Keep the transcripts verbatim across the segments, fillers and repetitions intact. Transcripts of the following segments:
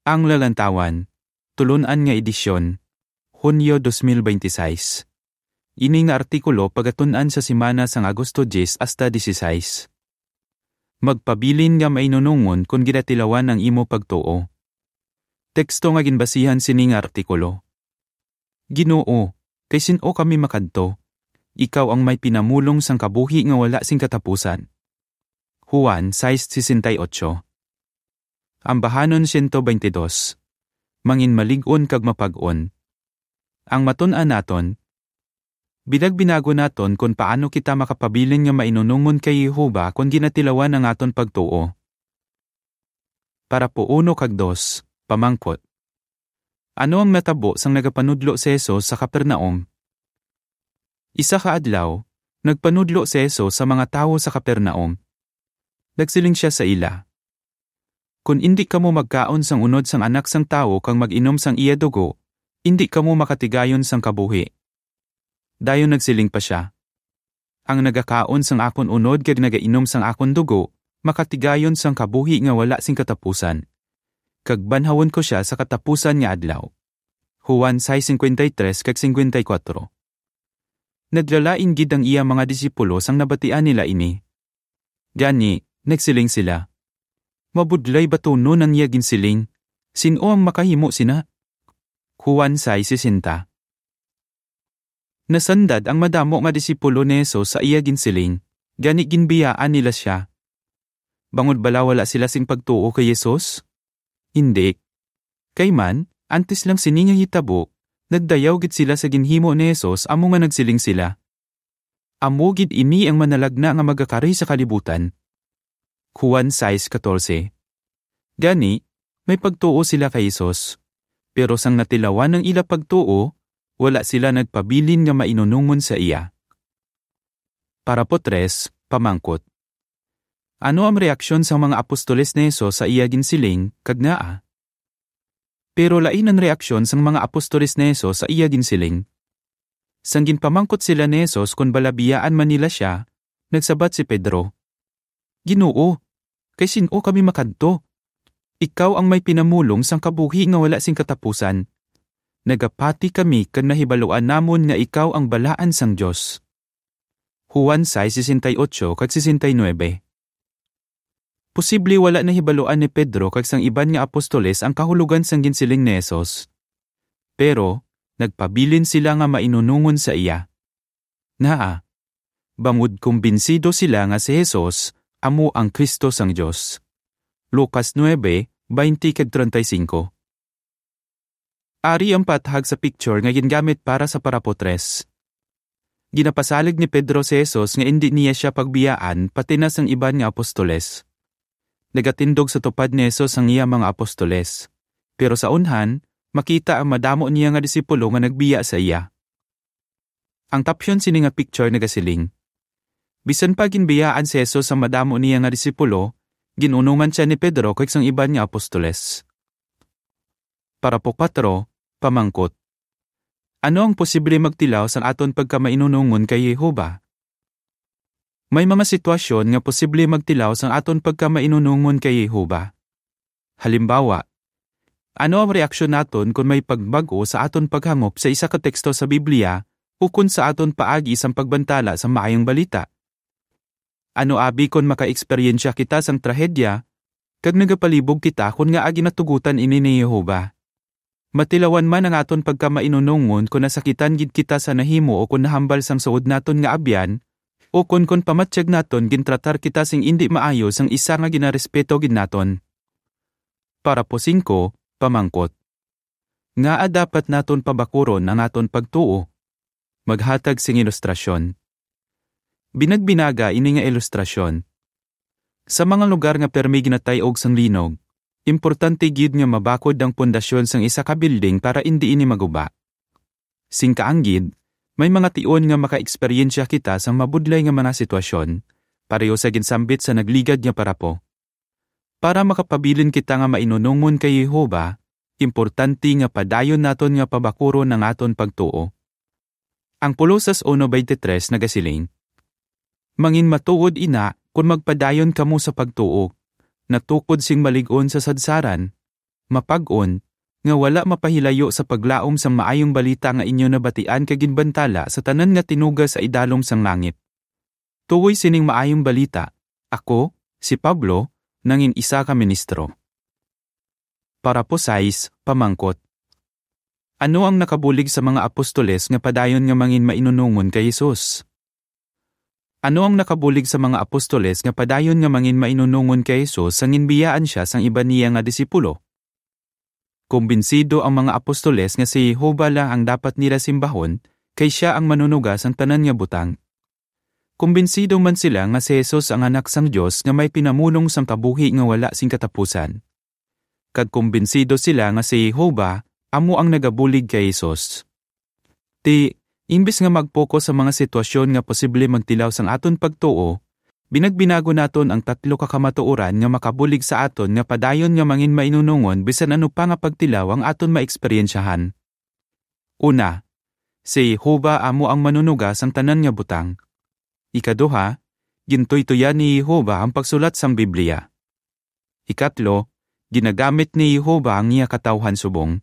Ang Lalantawan, tulun-an nga edisyon, Hunyo dos mil bente seis. Ini nga artikulo pagatun-an sa semana sang Agosto diyes hasta dieciséis. Magpabilin nga mainunongon kon ginatilawan ang imo pagtuo. Teksto nga ginbasihan sini nga artikulo. Ginoo, kay sin-o kami makadto? Ikaw ang may pinamulong sang kabuhi nga wala sing katapusan. Juan sais sesenta y ocho. Ambahanon siyento bente dos. Manginmalig-on kag mapag-on. Ang matun-an naton, binagbinagon naton kon paano kita makapabilin nga mainunongon kay Jehovah kon ginatilawan ang aton pagtuo. Parapo uno kag dos, pamangkot. Ano ang natabo sang nagapanudlo si Jesus sa Capernaum? Isa ka adlaw, nagpanudlo si Jesus sa mga tawo sa Capernaum. Nagsiling sia sa ila, "Kon indi kamo magkaon sang unod sang Anak sang Tawo kag mag-inom sang iya dugo, indi kamo makatigayon sang kabuhi." Dayon nagsiling pa sia, "Ang nagakaon sang akon unod kag nagainom sang akon dugo, makatigayon sang kabuhi nga wala sing katapusan, kag banhawon ko sia sa katapusan nga adlaw." Juan sais cincuenta y tres kag cincuenta y cuatro. Naglalain gid ang iya mga disipulo sang nabatian nila ini. Gani, nagsiling sila, "Mabudlay batunon ang iya ginsiling. Sin-o ang makahimo sina?" Juan sais sesenta. Nasandad ang madamo nga disipulo ni Jesus sa iya ginsiling, gani ginbiyaan nila sia. Bangod bala wala sila sing pagtuo kay Jesus? Indi. Kay man, antes lang sini nga hitabo, nagdayaw gid sila sa ginhimo ni Jesus, amo nga nagsiling sila, "Amo gid ini ang manalagna nga magakari sa kalibutan." Juan sais catorce. Gani, may pagtuo sila kay Jesus, pero sang natilawan ang ila pagtuo, wala sila nagpabilin nga mainunongon sa iya. Parapo tres, pamangkot. Ano ang reaksyon sang mga apostoles ni Jesus sa iya ginsiling, kag ngaa? Pero lain ang reaksyon sang mga apostoles ni Jesus sa iya ginsiling. Sang ginpamangkot sila ni Jesus kon bala biyaan man nila sia, nagsabat si Pedro, "Ginoo, kay sin-o kami makadto? Ikaw ang may pinamulong sang kabuhi nga wala sing katapusan. Nagapati kami kag nahibaluan namon nga ikaw ang Balaan sang Dios." Juan sais sesenta y ocho kag sesenta y nuebe. Posible wala nahibaluan ni Pedro kag sang iban nga apostoles ang kahulogan sang ginsiling ni Jesus. Pero, nagpabilin sila nga mainunongon sa iya. Ngaa, bangod kumbinsido sila nga si Jesus amo ang Cristo sang Dios. Lucas nuebe, baynte kag treinta y cinco. Ari ang paathag sa picture nga gingamit para sa parapo tres. Ginapasalig ni Pedro si Jesus nga indi niya sia pagbiyaan, pati na sang iban nga apostoles. Nagatindog sa tupad ni Jesus ang iya mga apostoles, pero sa unhan, makita ang madamo niya nga disipulo nga nagbiya sa iya. Ang caption sini nga picture nagasiling, "Bisan pa ginbiyaan si Jesus sang madamo niya nga disipulo, gin-unongan sia ni Pedro kag sang iban nga apostoles." Parapo kuwatro, pamangkot. Ano ang posible magtilaw sang aton pagkamainunongon kay Jehovah? May mga sitwasyon nga posible magtilaw sang aton pagkamainunongon kay Jehovah. Halimbawa, ano ang reaksyon naton kon may pagbag-o sa aton paghangop sa isa ka teksto sa Biblia ukon sa aton paagi sang pagbantala sa Maayong Balita? Ano abi kon makaeksperyensya kita sang trahedya, kag nagapalibog kita kon ngaa ginatugutan ini ni Jehovah? Matilawan man ang aton pagkamainunongon kon nasakitan gid kita sa nahimo o kon nahambal sang suod naton nga abyan, o kon, kon pamatyag naton gintratar kita sing indi maayo sang isa nga ginarespeto gid naton. Parapo singko, pamangkot. Ngaa dapat naton pabakuron ang aton pagtuo? Maghatag sing ilustrasyon. Binagbinaga ini nga ilustrasyon. Sa mga lugar nga permi ginatay-og sang linog, importante gid nga mabakod ang pundasyon sang isa ka building para indi ini maguba. Sing kaanggid, may mga tion nga makaeksperyensya kita sang mabudlay nga mga sitwasyon, pareho sa ginsambit sa nagligad nga parapo. Para makapabilin kita nga mainunongon kay Jehovah, importante nga padayon naton nga pabakuron ang aton pagtuo. Ang Colosas uno veintitrés nagasiling, "Manginmatuod ina kon magpadayon kamo sa pagtuo, natukod sing malig-on sa sadsaran, mapag-on, nga wala mapahilayo sa paglaom sang maayong balita nga inyo nabatian kag ginbantala sa tanan nga tinuga sa idalom sang langit. Tuoy sining maayong balita, ako, si Pablo, nangin isa ka ministro. Parapo sais, pamangkot. Ano ang nakabulig sa mga apostoles nga padayon nga mangin mainunungon kay Jesus? Ano ang nakabulig sa mga apostoles nga padayon nga mangin mainunungon kay Jesus sang ginbiyaan sia sang iban niya nga disipulo? Kumbinsido ang mga apostoles nga si Jehovah lang ang dapat nila simbahon, kay sia ang manunuga sang tanan nga butang. Kumbinsido man sila nga si Jesus ang Anak sang Dios nga may pinamulong sang kabuhi nga wala sing katapusan. Kag kumbinsido sila nga si Jehovah amo ang nagabulig kay Jesus. Ti, imbis nga mag-focus sa mga sitwasyon nga posible magtilaw sang aton pagtuo, binagbinago naton ang tatlo ka kamatuoran nga makabulig sa aton nga padayon nga mangin mainunungon bisan ano pa nga pagtilaw ang aton maeksperiensyahan. Una, si Jehovah amo ang manunuga sang tanan nga butang. Ikaduha, gintuytoyan ni Jehovah ang pagsulat sang Biblia. Ikatlo, ginagamit ni Jehovah ang iya katawuhan subong.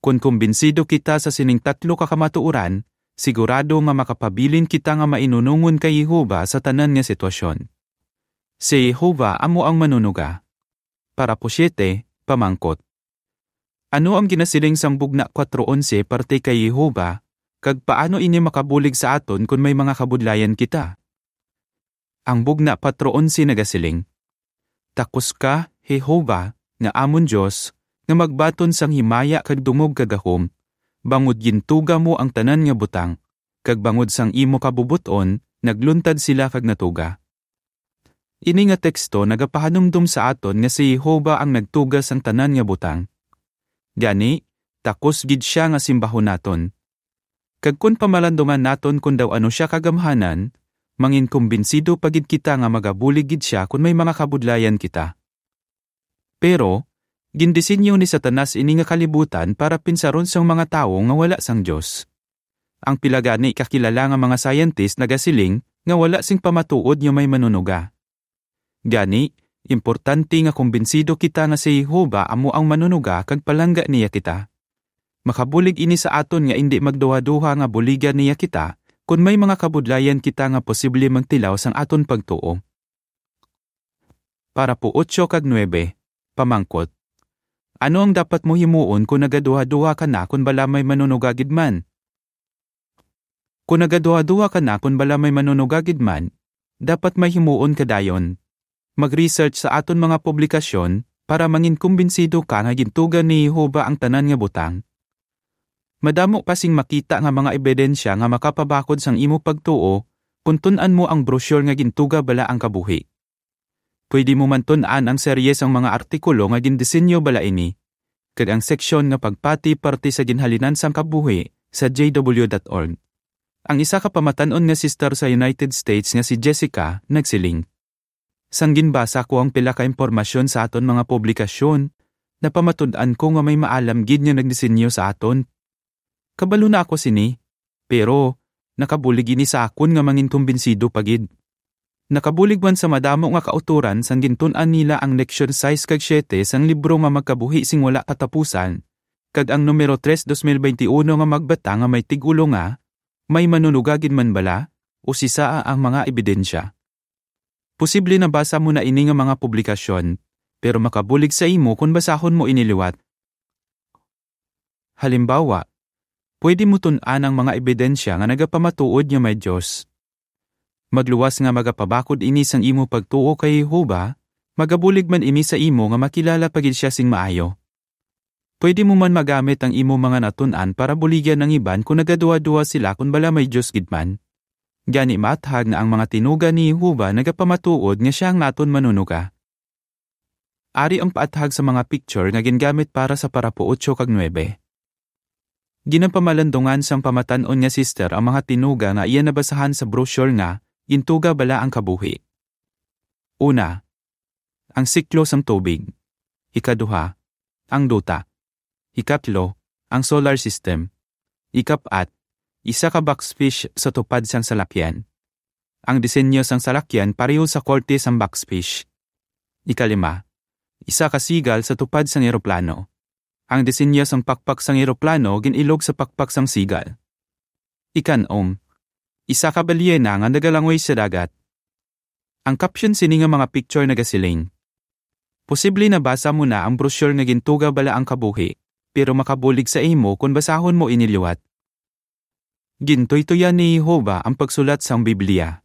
Kon kumbinsido kita sa sining tatlo ka kamatuoran, sigurado nga makapabilin kita nga mainunungon kay Jehovah sa tanan nga sitwasyon. Si Jehovah amo ang manunuga. Parapo siete, pamangkot. Ano ang ginasiling sang Bugna kuwatro onse parte kay Jehovah, kag paano ini makabulig sa aton kon may mga kabudlayan kita? Ang Bugna kuwatro onse nagasiling, "Takos ka, Jehovah, nga amon Dios, nga magbaton sang himaya kag dungog kag gahom, bangod gintuga mo ang tanan nga butang, kag bangod sang imo kabubot-on nagluntad sila kag natuga." Ini nga teksto nagapahanumdom sa aton nga si Jehovah ang nagtuga sang tanan nga butang. Gani, takos gid sia nga simbahon naton. Kag kon pamalandungan naton kon daw ano sia kagamhanan, mangin kumbinsido pa gid kita nga magabulig gid sia kon may mga kabudlayan kita. Pero, gindisenyo ni Satanas ini nga kalibutan para pinsaron sang mga tawo nga wala sang Dios. Ang pila gani ka kilala nga mga scientist nagasiling nga wala sing pamatuod nga may manunuga. Gani, importante nga kumbinsido kita nga si Jehovah amo ang manunuga kag palangga niya kita. Makabulig ini sa aton nga indi magduhaduha nga buligan niya kita kon may mga kabudlayan kita nga posible magtilaw sang aton pagtuo. Parapo otso kag nuebe, pamangkot. Ano ang dapat mo himuon kon nagaduhaduha ka na kon bala may manunuga gid man? Kon nagaduhaduha ka na kon bala may manunuga gid man, dapat may himuon ka dayon. Mag-research sa aton mga publikasyon para mangin kumbinsido ka nga gintuga ni Jehovah ang tanan nga butang. Madamo pa sing makita nga mga ebidensya nga makapabakod sang imo pagtuo kon tun-an mo ang brochure nga Gintuga Bala ang Kabuhi. Pwede mo man tun-an ang serye sang mga artikulo nga gindisenyo bala ini, kag ang seksyon nga Pagpati Parte sa Ginhalinan sang Kabuhi sa J W dot org. Ang isa ka pamatan-on nga sister sa United States nga si Jessica nagsiling, "Sang ginbasa ko ang pila ka impormasyon sa aton mga publikasyon, napamatud-an ko nga may maalam gid nga nagdisenyo sa aton. Kabalo na ako sini, pero nakabulig ini sa akon nga mangin kumbinsido pa gid." Nakabulig man sa madamo nga kautoran sang gintun-an nila ang leksyon sais kag siete sang libro nga Magkabuhi sing Wala Katapusan, kag ang numero tres dos mil veintiuno nga magbata nga may tig-ulo nga, "May Manunuga Gid Man Bala?" o "Sisa ang Mga Ebidensya?" Posible nabasa mo na ini nga mga publikasyon, pero makabulig sa imo kon basahon mo ini liwat. Halimbawa, pwede mo tun-an ang mga ebidensya nga nagapamatuod nga may Dios. Magluwas nga magapabakod ini sang imo pagtuo kay Jehovah, magabulig man ini sa imo nga makilala pa gid sia sing maayo. Pwede mo man magamit ang imo mga natun-an para buligan ang iban kon nagaduhaduha sila kon bala may Dios gid man. Gani, maathag nga ang mga tinuga ni Jehovah nagapamatuod nga sia ang naton Manunuga. Ari ang paathag sa mga picture nga gingamit para sa parapo otso kag nuebe. Ginapamalandungan sang pamatan-on nga sister ang mga tinuga nga iya nabasahan sa brochure nga Gintuga Bala ang Kabuhi. Una, ang siklo sang tubig. Ikaduha, ang duta. Ikatlo, ang solar system. Ikapat, isa ka boxfish sa tupad sang salakyan. Ang disenyo sang salakyan pareho sa korte sang boxfish. Ikalima, Isa ka sigal sa tupad sang eroplano. Ang disenyo sang pakpak sang eroplano gin-ilog sa pakpak sang sigal. Ikan-om, isa ka balyena nga nagalangoy sa dagat. Ang caption sini nga mga picture nagasiling, "Posible nabasa mo na ang brochure nga gintuga Bala ang Kabuhi, pero makabulig sa imo kon basahon mo ini liwat." Gintuytoyan ni Jehovah ang pagsulat sang Biblia.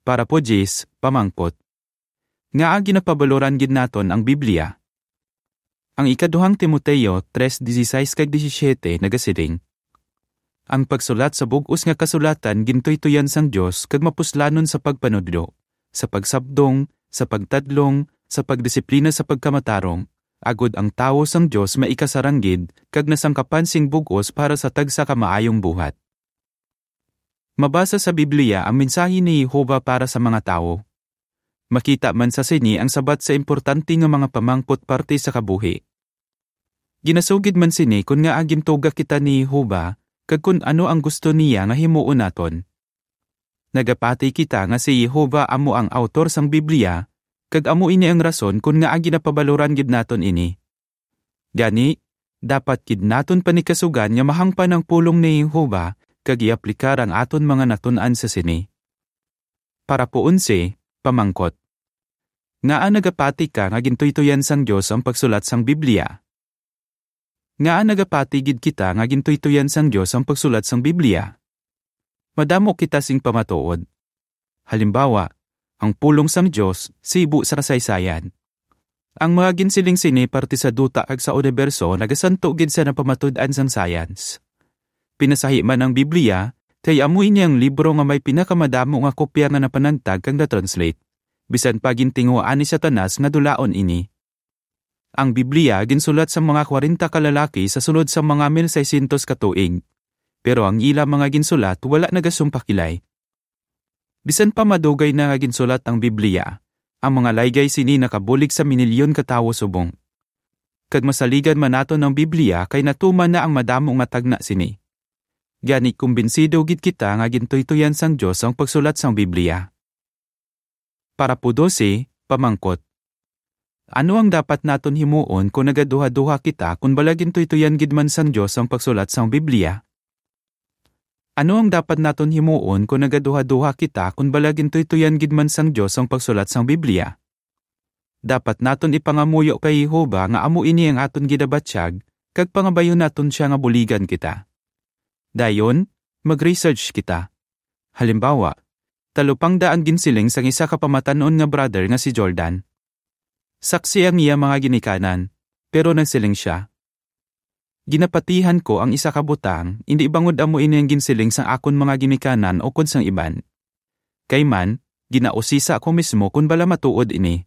Parapo diyes, pamangkot. Ngaa ginapabaloran gid naton ang Biblia? Ang ikaduhang Timoteo tres dieciséis kag diecisiete nagasiling, "Ang pagsulat sa bug-os nga kasulatan gintuytoyan sang Dios kag mapuslanon sa pagpanudlo, sa pagsabdong, sa pagtadlong, sa pagdisiplina sa pagkamatarong, agod ang tawo sang Dios maikasarang gid kag nasangkapan sing bug-os para sa tagsa ka maayong buhat." Mabasa sa Biblia ang mensahe ni Jehovah para sa mga tawo. Makita man sa sini ang sabat sa importante nga mga pamangkot parte sa kabuhi. Ginasugid man sini kon ngaa gintuga kita ni Jehovah kag kon ano ang gusto niya nga himuon naton. Nagapati kita nga si Jehovah amo ang autor sang Biblia, kag amo ini ang rason kon ngaa ginapabaloran gid naton ini. Gani, dapat gid naton panikasugan nga mahangpan ang pulong ni Jehovah kag i-aplikar ang aton mga natun-an sa sini. Parapo onse, pamangkot. Ngaa nagapati ka nga gintuytoyan sang Dios ang pagsulat sang Biblia? Ngaa nagapati gid kita nga gintuytoyan sang Dios ang pagsulat sang Biblia? Madamo kita sing pamatuod. Halimbawa, ang pulong sang Dios sibo sa kasaysayan. Ang mga ginsiling sini parte sa duta kag sa uniberso nagasanto gid sa napamatud-an sang science. Pinasahi man ang Biblia, kay amo ini ang libro nga may pinakamadamo nga kopya nga napanagtag kag na-translate. Bisan pa gintinguhaan ni Satanas nga dulaon ini. Ang Biblia ginsulat sang mga kwarenta ka lalaki sa sulod sang mga mil seiscientos ka tuig, pero ang ila mga ginsulat wala nagasumpakilay. Bisan pa madugay na nga ginsulat ang Biblia, ang mga laygay sini nakabulig sa minilyon ka tawo subong. Kag masaligan man naton ang Biblia kay natuman na ang madamo nga tagna sini. Gani, kumbinsido gid kita nga gintuytoyan sang Dios ang pagsulat sang Biblia. Parapo dose, pamangkot. Ano ang dapat naton himuon kon nagaduhaduha kita kon bala gintuytoyan gid man sang Dios ang pagsulat sang Biblia? Ano ang dapat naton himuon kon nagaduhaduha kita kon bala gintuytoyan gid man sang Dios ang pagsulat sang Biblia? Dapat naton ipangamuyo kay Jehovah nga amo ini ang aton ginabatyag, kag pangabayon naton sia nga buligan kita. Dayon, mag-research kita. Halimbawa, talupangda ang ginsiling sang isa ka pamatan-on nga brother nga si Jordan. Saksi ang iya mga ginikanan, pero nagsiling sia, "Ginapatihan ko ang isa ka butang, indi bangod amo ini ang ginsiling sang akon mga ginikanan ukon sang iban. Kay man, ginausisa ko mismo kon bala matuod ini.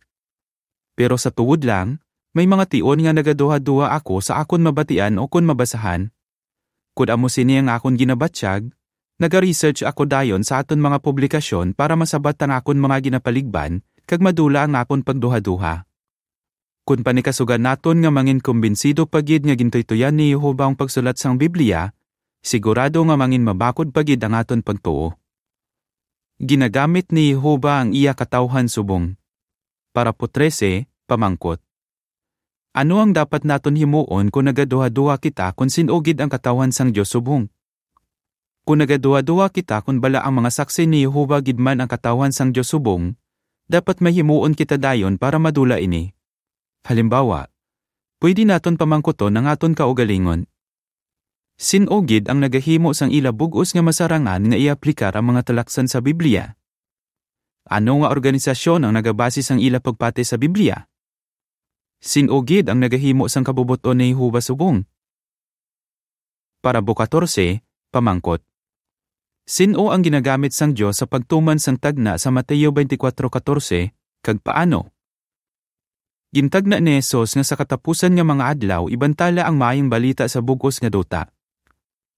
Pero sa tuod lang, may mga tion nga nagaduhaduha ako sa akon mabatian ukon mabasahan. Kon amo sini ang akon ginabatyag, naga-research ako dayon sa aton mga publikasyon para masabat ang akon mga ginapaligban kag madula ang akon pagduhaduha." Kon panikasugan naton nga manginkumbinsido pa gid nga gintuytoyan ni Jehovah ang pagsulat sang Biblia, sigurado nga manginmabakod pa gid ang aton pagtuo. Ginagamit ni Jehovah ang iya katawhan subong. Parapo trese, pamangkot. Ano ang dapat naton himuon kon nagaduhaduha kita kon sin-o gid ang katawhan sang Dios subong? Kon nagaduhaduha kita kon bala ang mga saksi ni Jehovah gid man ang katawhan sang Dios subong, dapat may himuon kita dayon para madula ini. Halimbawa, pwede naton pamangkuton ang aton kaugalingon. Sin-o gid ang nagahimo sang ila bug-os nga masarangan nga i-aplikar ang mga talaksan sa Biblia? Ano nga organisasyon ang nagabase sang ila pagpati sa Biblia? Sin-o gid ang nagahimo sang kabubot-on ni Jehovah subong? Parapo katorse, pamangkot. Sin-o ang ginagamit sang Dios sa pagtuman sang tagna sa Mateo twenty-four katorse, kag paano? Gintagna ni Jesus nga sa katapusan nga mga adlaw ibantala ang maayong balita sa bug-os nga duta.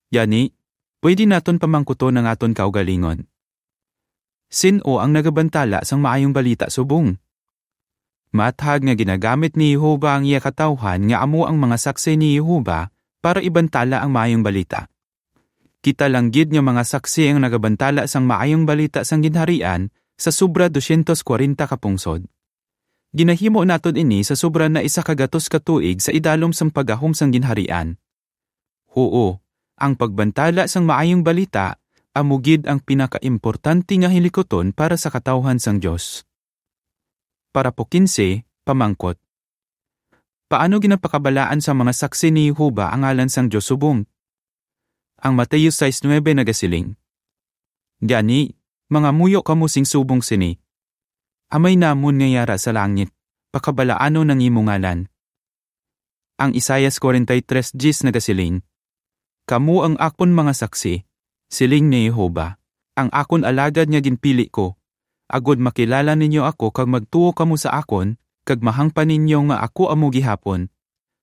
Gani, pwede naton pamangkuton ang aton kaugalingon. Sin-o ang nagabantala sang maayong balita subong? Maathag nga ginagamit ni Jehovah ang iya katawhan nga amo ang mga saksi ni Jehovah para ibantala ang maayong balita. Kita lang gid nga mga saksi ang nagabantala sang maayong balita sang Ginharian sa sobra dosyentos kwarenta ka pungsod. Ginahimo naton ini sa sobra na isa ka gatos ka tuig sa idalom sang paggahom sang Ginharian. Huo, ang pagbantala sang Maayong Balita amo gid ang pinakaimportante nga hilikuton para sa katawhan sang Dios. Parapo kinse, pamangkot. Paano ginapakabalaan sa mga saksi ni Jehovah ang ngalan sang Dios subong? Ang Mateo sais nuebe nagasiling, "Gani, mangamuyo kamo sing subong sini: Amay namon nga yara sa langit, pakabalaanon ang imo ngalan." Ang Isaias forty-three diyes nagasiling, "Kamo ang akon mga saksi, siling ni Jehovah, ang akon alagad nga ginpili ko, agod makilala ninyo ako kag magtuo kamo sa akon, kag mahangpan ninyo nga ako amo gihapon.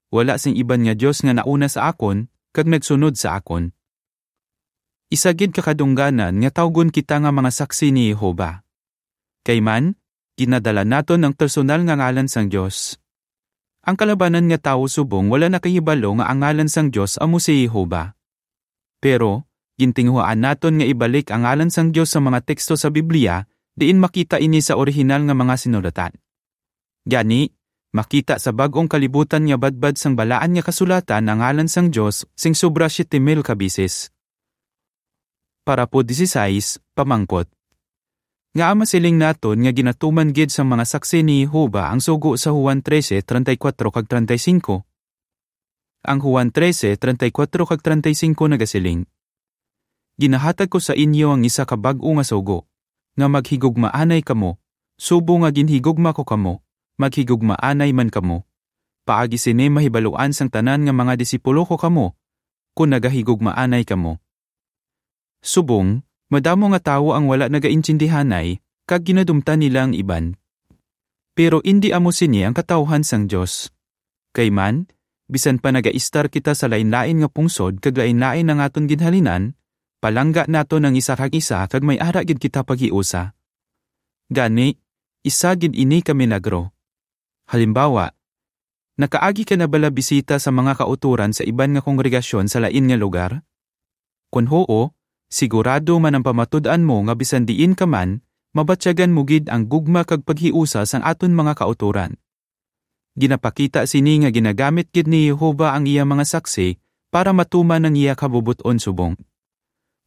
Wala sing iban nga Dios nga nauna sa akon kag nagsunod sa akon." Isa gid ka kadungganan nga tawgon kita nga mga saksi ni Jehovah. Kay man, ginadala naton ang personal nga ngalan sang Dios. Ang kalabanan nga tawo subong wala nakahibalo nga ang ngalan sang Dios amo si Jehovah. Pero, gintinguhaan naton nga ibalik ang ngalan sang Dios sa mga teksto sa Biblia diin makita ini sa orihinal nga mga sinulatan. Gani, makita sa bag-ong kalibutan nga badbad sang Balaan nga Kasulatan ang ngalan sang Dios sing sobra siyete mil ka beses. Parapo disisais, pamangkot. Ngaa masiling naton nga ginatuman gid sang mga saksi ni Jehovah ang sugo sa Juan trese, treinta y cuatro kag treinta y cinco? Ang Juan trese, treinta y cuatro kag treinta y cinco nagasiling, "Ginahatag ko sa inyo ang isa ka bag-o nga sugo, nga maghigugmaanay kamo, subong nga ginhigugma ko kamo, maghigugmaanay man kamo. Paagi sini mahibaluan sang tanan nga mga disipulo ko kamo, kon nagahigugmaanay kamo." Subong, madamo nga tawo ang wala nagaintindihanay, kag ginadumtan nila ang iban. Pero indi amo sini ang katawhan sang Dios. Kay man, bisan pa nagaistar kita sa lain-lain nga pungsod kag lain-lain ang aton ginhalinan, palangga naton ang isa kag isa kag may ara gid kita paghiusa. Gani, isa gid ini ka milagro. Halimbawa, nakaagi ka na bala bisita sa mga kautoran sa iban nga kongregasyon sa lain nga lugar? Kon huo, sigurado man ang pamatud-an mo nga bisan diin ka man, mabatyagan mo gid ang gugma kag paghiusa sang aton mga kautoran. Ginapakita sini nga ginagamit gid ni Jehovah ang iya mga saksi para matuman ang iya kabubot-on subong.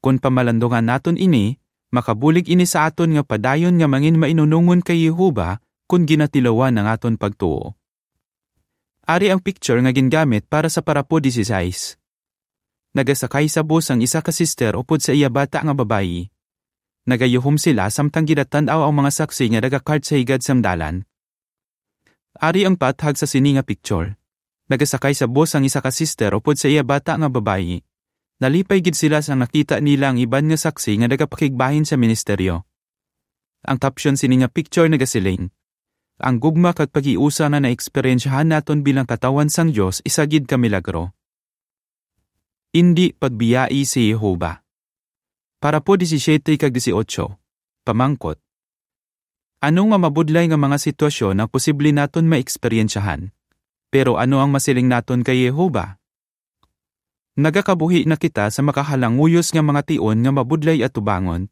Kon pamalandungan naton ini, makabulig ini sa aton nga padayon nga mangin mainunongon kay Jehovah kon ginatilawan ang aton pagtuo. Ari ang picture nga gingamit para sa parapo disisais. Nagasakay sa bus ang isa ka sister upod sa iya bata nga babayi. Nagayuhom sila samtang ginatan-aw ang mga saksi nga nagakart sa higad sang dalan. Ari ang pathag sa sini nga picture. Nagasakay sa bus ang isa ka sister upod sa iya bata nga babayi. Nalipay gid sila sang nakita nila ang iban nga saksi nga nagapakigbahin sa ministeryo. Ang caption sini nga picture nagasiling, "Ang gugma kag paghiusa nga naeksperyensyahan naton bilang katawhan sang Dios isa gid ka milagro." Indi pagbiyai si Jehovah. Parapo disisiete kag dieciocho, pamangkot. Ano nga mabudlay nga mga sitwasyon ang posible naton maeksperyensyahan? Pero ano ang masiling naton kay Jehovah? Nagakabuhi na kita sa makahalanguyos nga mga tion nga mabudlay atubangon.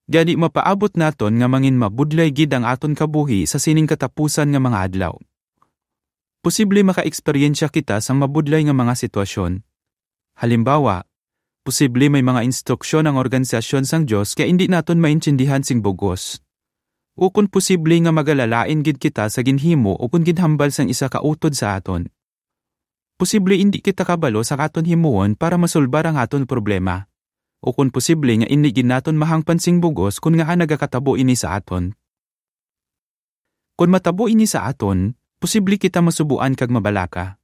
Gani mapaabot naton nga mangin mabudlay gid ang aton kabuhi sa sining katapusan nga mga adlaw. Posible makaeksperyensya kita sang mabudlay nga mga sitwasyon. Halimbawa, posible may mga instruksyon ang organisasyon sang Dios nga indi naton maintindihan sing bug-os. Ukon posible nga magalalain gid kita sa ginhimo ukon ginhambal sang isa ka utod sa aton. Posible indi kita kabalo sa aton himuon para masulbar ang aton problema. Ukon posible nga indi gid naton mahangpan sing bug-os kon ngaa nagakatabo ini sa aton. Kon matabo ini sa aton, posible kita masubuan kag mabalaka.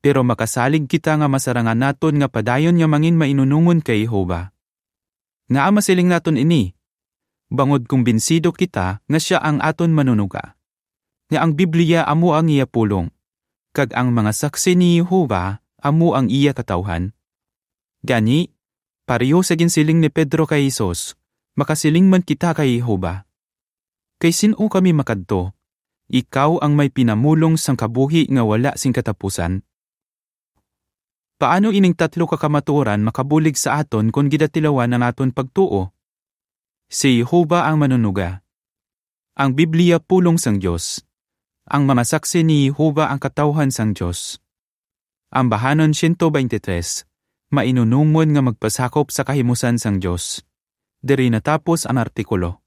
Pero makasalig kita nga masarangan naton nga padayon nga mangin mainunongon kay Jehovah. Ngaa masiling naton ini? Bangod kumbinsido kita nga sia ang aton Manunuga, nga ang Biblia amo ang iya pulong, kag ang mga saksi ni Jehovah amo ang iya katawhan. Gani, pareho sa ginsiling ni Pedro kay Jesus, makasiling man kita kay Jehovah, "Kay sin-o kami makadto? Ikaw ang may pinamulong sang kabuhi nga wala sing katapusan." Paano ining tatlo ka kamatuoran makabulig sa aton kon gidatilawan ang aton pagtuo? Si Jehovah ang Manunuga. Ang Biblia pulong sang Dios. Ang mga saksi ni Jehovah ang katawhan sang Dios. Ambahanon siyento beintitrés, mainunumon nga magpasakop sa kahimusan sang Dios. Diri natapos ang artikulo.